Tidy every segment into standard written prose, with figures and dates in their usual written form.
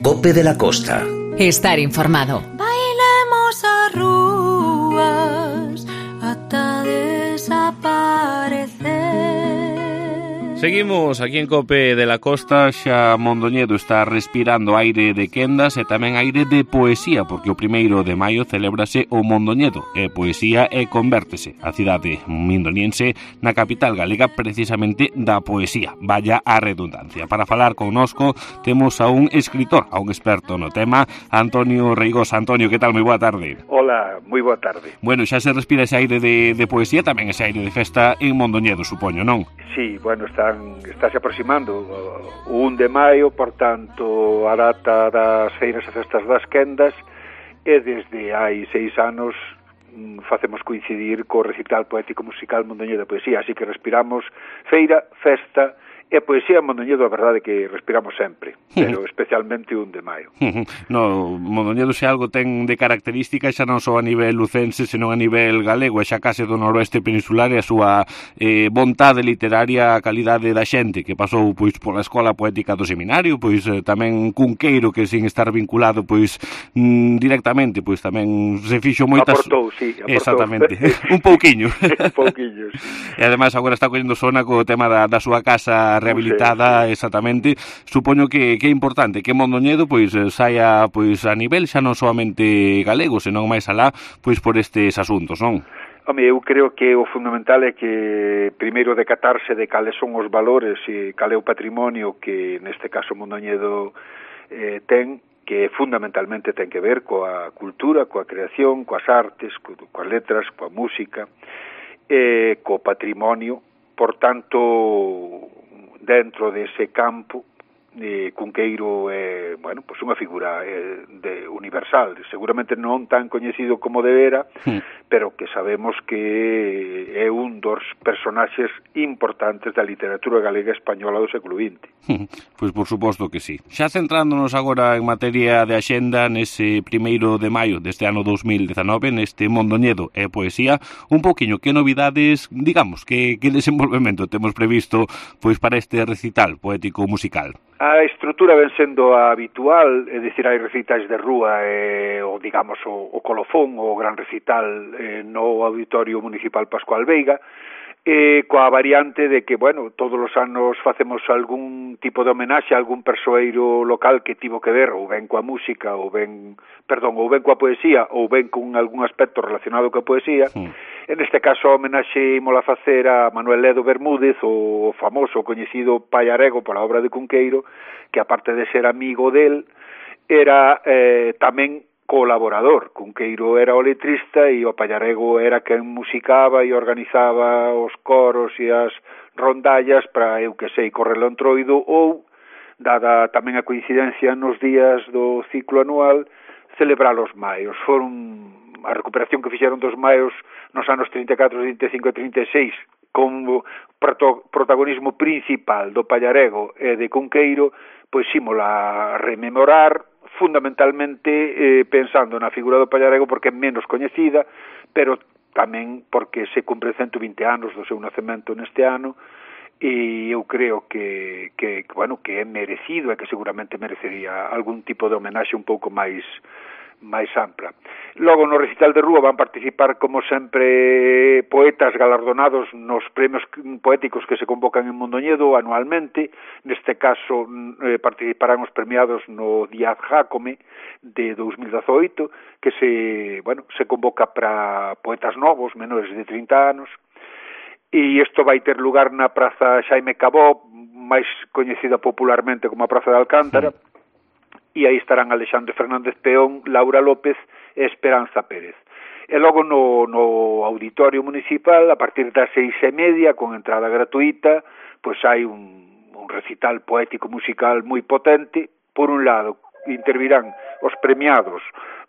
Cope de la Costa. Estar informado. Bailemos a rúas ata desaparecer. Seguimos aquí en Cope de la Costa. Xa Mondoñedo está respirando aire de quendas e tamén aire de poesía, porque o 1º de maio celébrase o Mondoñedo e poesía e convértese a cidade mindoniense na capital galega precisamente da poesía. Vaya a redundancia. Para falar connosco temos a un escritor, a un experto no tema, Antonio Reigosa. Antonio, que tal? Moi boa tarde. Hola, moi boa tarde. Bueno, xa se respira ese aire de poesía, tamén ese aire de festa en Mondoñedo, supoño, non? Sí, bueno, estáse aproximando o 1 de maio, por tanto, a data das feiras e festas das quendas, e desde hai 6 anos facemos coincidir co recital poético musical Mondoñedo de Poesía, así que respiramos feira, festa e poesía en Mondoñedo. A verdade que respiramos sempre, pero especialmente o 1 de maio. No, Mondoñedo se algo ten de característica xa non só a nivel lucense, senón a nivel galego, e xa case do noroeste peninsular, e a súa vontade literaria, a calidade da xente que pasou pois pola Escola Poética do Seminario, pois tamén Cunqueiro, que sin estar vinculado pois directamente, pois tamén se fixo moitas... Aportou, sí, aportou. Exactamente, un pouquiño. Un pouquiño, sí. E ademais agora está collendo sona co tema da súa casa rehabilitada, sí. Exactamente. Supoño que é importante que Mondoñedo pois saia pois a nivel xa non solamente galego, senón máis alá pois por estes asuntos, non? Home, eu creo que o fundamental é que primeiro decatarse de cales son os valores e cal é o patrimonio que neste caso Mondoñedo ten, que fundamentalmente ten que ver coa cultura, coa creación, coas artes, coas letras, coa música, co patrimonio. Por tanto, dentro dese campo, Cunqueiro é, bueno, pues unha figura universal, seguramente non tan coñecido como debera, pero que sabemos que é un dos personaxes importantes da literatura galega e española do século XX. Pois por suposto que sí. Xa centrándonos agora en materia de axenda, nese 1º de maio deste ano 2019, neste Mondoñedo e Poesía, un poquinho que novidades, digamos, que desenvolvemento temos previsto pois para este recital poético musical? A estrutura ven sendo a habitual, é dicir, hai recitais de rúa o, digamos, o colofón, o gran recital no Auditorio Municipal Pascual Veiga, coa variante de que, bueno, todos os anos facemos algún tipo de homenaxe a algún persoeiro local que tivo que ver ou ben coa música, ou ben coa poesía, ou ben con algún aspecto relacionado coa poesía. En este caso, a homenaxe ímola facer a Manuel Ledo Bermúdez, o famoso, coñecido Payarego pola obra de Cunqueiro, que aparte de ser amigo del, era tamén colaborador. Cunqueiro era o letrista e o Payarego era quen musicaba e organizaba os coros e as rondallas para, eu que sei, correr o Entroido, ou, dada tamén a coincidencia nos días do ciclo anual, celebrar os maios. Foron a recuperación que fixeron dos maios nos anos 34, 35 e 36, con protagonismo principal do Payarego e de Cunqueiro, pois ímola rememorar, fundamentalmente pensando na figura do Payarego porque é menos coñecida, pero tamén porque se cumpre 120 anos do seu nacemento neste ano, e eu creo que bueno, que é merecido e que seguramente merecería algún tipo de homenaxe un pouco máis ampla. Logo, no recital de rúa van participar, como sempre, poetas galardonados nos premios poéticos que se convocan en Mondoñedo anualmente. Neste caso, participarán os premiados no Díaz Jácome de 2018, que se convoca para poetas novos, menores de 30 anos, e isto vai ter lugar na Praza Xaime Cabó, máis coñecida popularmente como a Praza de Alcántara, e aí estarán Alexandre Fernández Peón, Laura López e Esperanza Pérez. E logo no Auditorio Municipal, a partir das 6:30, con entrada gratuita, pois hai un recital poético musical moi potente. Por un lado, intervirán os premiados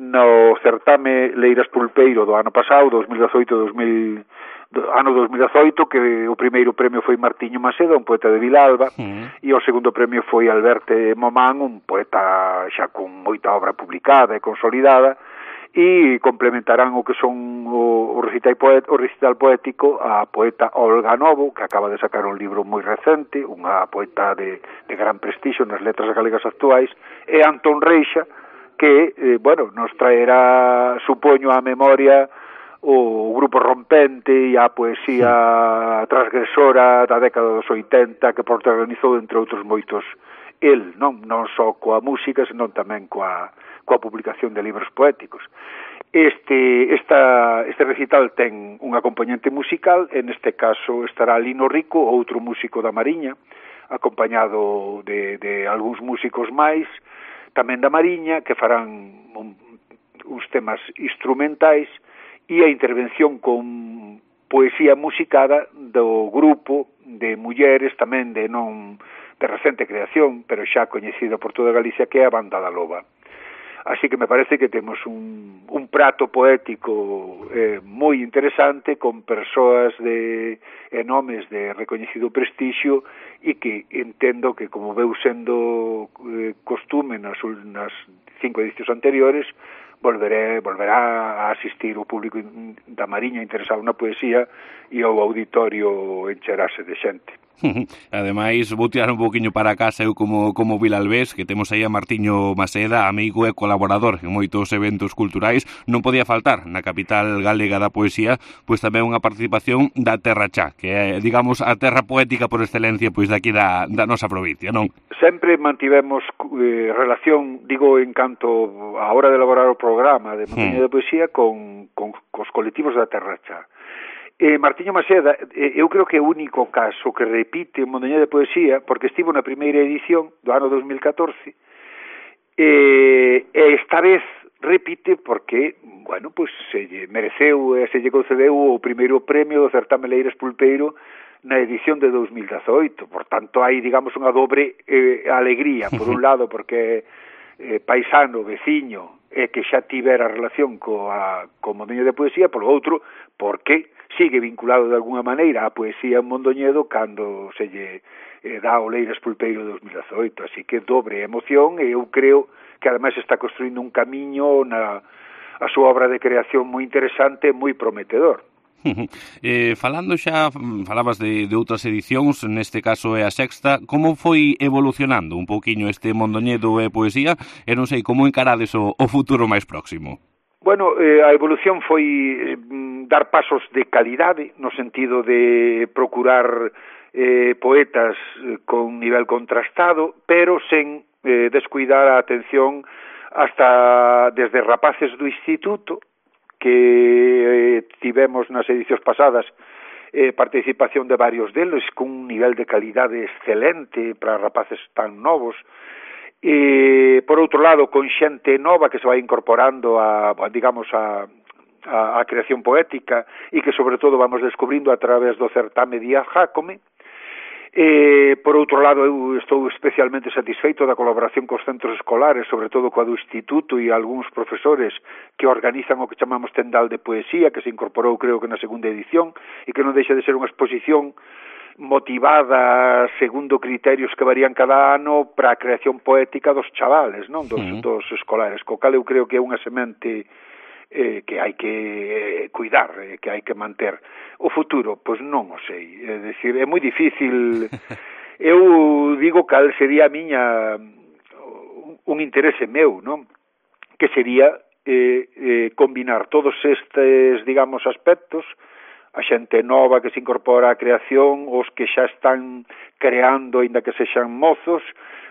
no certame Leiras Pulpeiro do ano pasado, 2018, que o primeiro premio foi Martiño Maceda, un poeta de Vilalba, e o segundo premio foi Alberto Momán, un poeta xa con moita obra publicada e consolidada, e complementarán o que son o recital poético a poeta Olga Novo, que acaba de sacar un libro moi recente, unha poeta de gran prestixio nas letras galegas actuais, e Antón Reixa, que, nos traerá, supoño, a memoria o grupo rompente e a poesía transgresora da década dos 80 que protagonizou, entre outros moitos, el, non só coa música, senón tamén coa publicación de libros poéticos. Este recital ten un acompañante musical, en este caso estará Lino Rico, outro músico da Mariña, acompañado de algúns músicos máis, tamén da Mariña, que farán uns temas instrumentais, e a intervención con poesía musicada do grupo de mulleres tamén de recente creación, pero xa coñecido por toda Galicia, que é a Banda da Loba. Así que me parece que temos un prato poético moi interesante, con persoas e nomes de recoñecido prestixio, e que entendo que, como veu sendo costume nas 5 edicións anteriores, volverá a asistir o público da Mariña interesado na poesía, e o auditorio encherase de xente. Ademais, vou tirar un poquinho para casa eu como Vilalbés, que temos aí a Martiño Maseda, amigo e colaborador en moitos eventos culturais. Non podía faltar na capital galega da poesía, pois tamén unha participación da Terra Chá, que é, digamos, a terra poética por excelencia pois daqui da nosa provincia, non? Sempre mantivemos relación, digo, en canto a hora de elaborar o programa de Montaña de Poesía cos colectivos da Terra Chá. Martiño Maseda, eu creo que é o único caso que repite en Montaña de Poesía, porque estivo na primeira edición do ano 2014, e esta vez repite porque, se lle mereceu e se lle concedeu o primeiro premio do certame Leiras Pulpeiro na edición de 2018. Por tanto, hai, digamos, unha dobre alegría, por un lado, porque paisano, veciño, e que xa tivera relación co Mondoñedo de Poesía, polo outro, porque sigue vinculado de alguna maneira á poesía en Mondoñedo cando se lle dá o Leiras Pulpeiro 2018, así que dobre emoción, e eu creo que ademais está construindo un camiño a súa obra de creación moi interesante, moi prometedor. Falabas de outras edicións, neste caso é a sexta. Como foi evolucionando un pouquiño este Mondoñedo e Poesía? E non sei, como encarades o futuro máis próximo? A evolución foi dar pasos de calidade, no sentido de procurar poetas con nivel contrastado, pero sen descuidar a atención hasta desde rapaces do instituto, que tivemos nas edicións pasadas participación de varios deles con un nivel de calidade excelente para rapaces tan novos, e por outro lado con xente nova que se vai incorporando a creación poética, e que sobre todo vamos descubrindo a través do certame Día Jácome. Por outro lado, eu estou especialmente satisfeito da colaboración cos centros escolares, sobre todo coa do instituto e algúns profesores que organizan o que chamamos Tendal de Poesía, que se incorporou, creo que na segunda edición, e que non deixa de ser unha exposición motivada segundo criterios que varían cada ano para a creación poética dos chavales, non? Dos escolares, co cal eu creo que é unha semente que hai que cuidar, que hai que manter. O futuro, pois non o sei, é dicir, é moi difícil. Eu digo cal sería un interese meu, non? Que sería combinar todos estes, digamos, aspectos, a xente nova que se incorpora á creación, os que xa están creando, aínda que sexan mozos,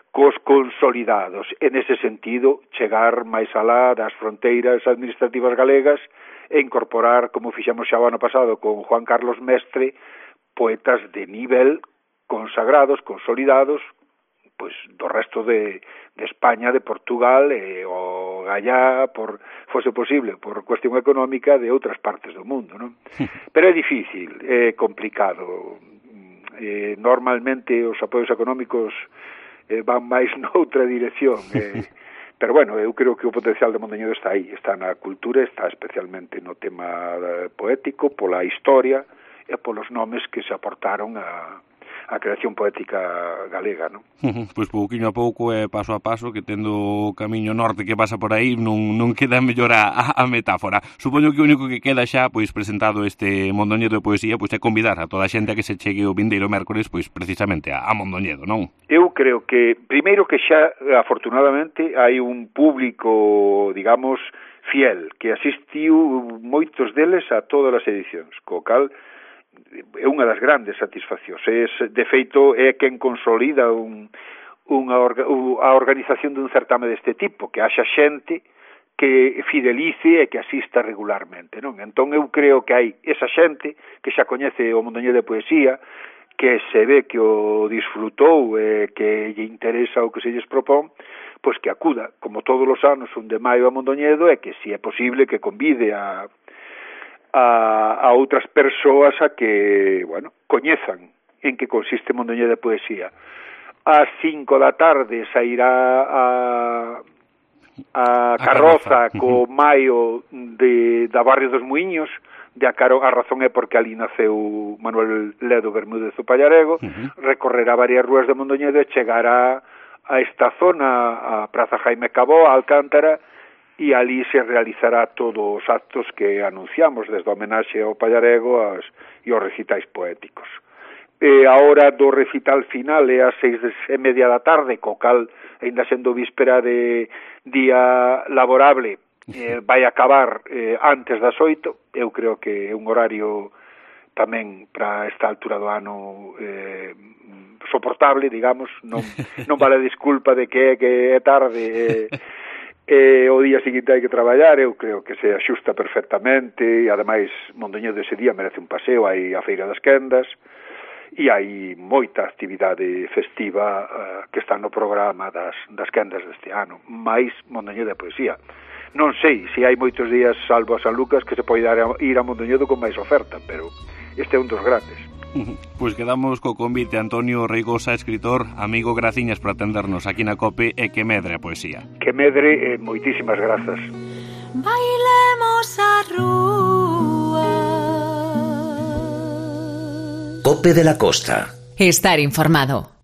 cos consolidados. En ese sentido, chegar máis alá das fronteiras administrativas galegas e incorporar, como fixemos xa o ano pasado con Juan Carlos Mestre, poetas de nivel consagrados, consolidados, pois do resto de España, de Portugal e o gallá, por fose posible, por cuestión económica, de outras partes do mundo, non? Pero é difícil, é complicado. Normalmente os apoios económicos van máis noutra dirección, pero eu creo que o potencial de Mondoñedo está aí, está na cultura, está especialmente no tema poético, pola historia e polos nomes que se aportaron a creación poética galega, non? Pois pouquiño a pouco e paso a paso, que tendo o camiño norte que pasa por aí, non queda mellor a metáfora. Supoño que o único que queda xa, pois presentado este Mondoñedo de Poesía, pois é convidar a toda a xente a que se chegue o vindeiro mércores, pois precisamente a Mondoñedo, non? Eu creo que, primeiro que xa, afortunadamente, hai un público, digamos, fiel, que asistiu moitos deles a todas as edicións, co cal é unha das grandes satisfaccións. De feito, é quen consolida a organización dun certame deste tipo, que haxa xente que fidelice e que asista regularmente, non? Entón eu creo que hai esa xente que xa coñece o Mondoñedo de Poesía, que se ve que o disfrutou e que lle interesa o que se lles propón, pois que acuda, como todos os anos, un de maio a Mondoñedo, e que, se é posible, que convide a outras persoas a que, bueno, coñezan en que consiste Mondoñedo de Poesía. Ás 5 da tarde sairá a carroza co maio da Barrio dos Muiños, a razón é porque ali naceu Manuel Ledo Bermúdez o Pallarego, recorrerá varias rúas de Mondoñedo e chegará a esta zona, a Praza Jaime Cabó, a Alcántara, e ali se realizará todos os actos que anunciamos, desde a homenaxe ao Pallarego e aos recitais poéticos. A hora do recital final é ás 6:30 da tarde, co cal, ainda sendo víspera de día laborable, vai acabar antes das 8. Eu creo que é un horario tamén para esta altura do ano soportable, digamos, non vale disculpa de que é tarde o día seguinte hai que traballar. Eu creo que se axusta perfectamente, e ademais Mondoñedo ese día merece un paseo, hai a Feira das Quendas e hai moita actividade festiva que está no programa das quendas deste ano, máis Mondoñedo de Poesía. Non sei se hai moitos días, salvo a San Lucas, que se pode ir a Mondoñedo con máis oferta, pero este é un dos grandes. Pois quedamos co convite. Antonio Reigosa, escritor, amigo, graciñas por atendernos aquí na COPE, e que medre a poesía. Que medre, moitísimas grazas. Bailemos a rúa. COPE de la Costa. Estar informado.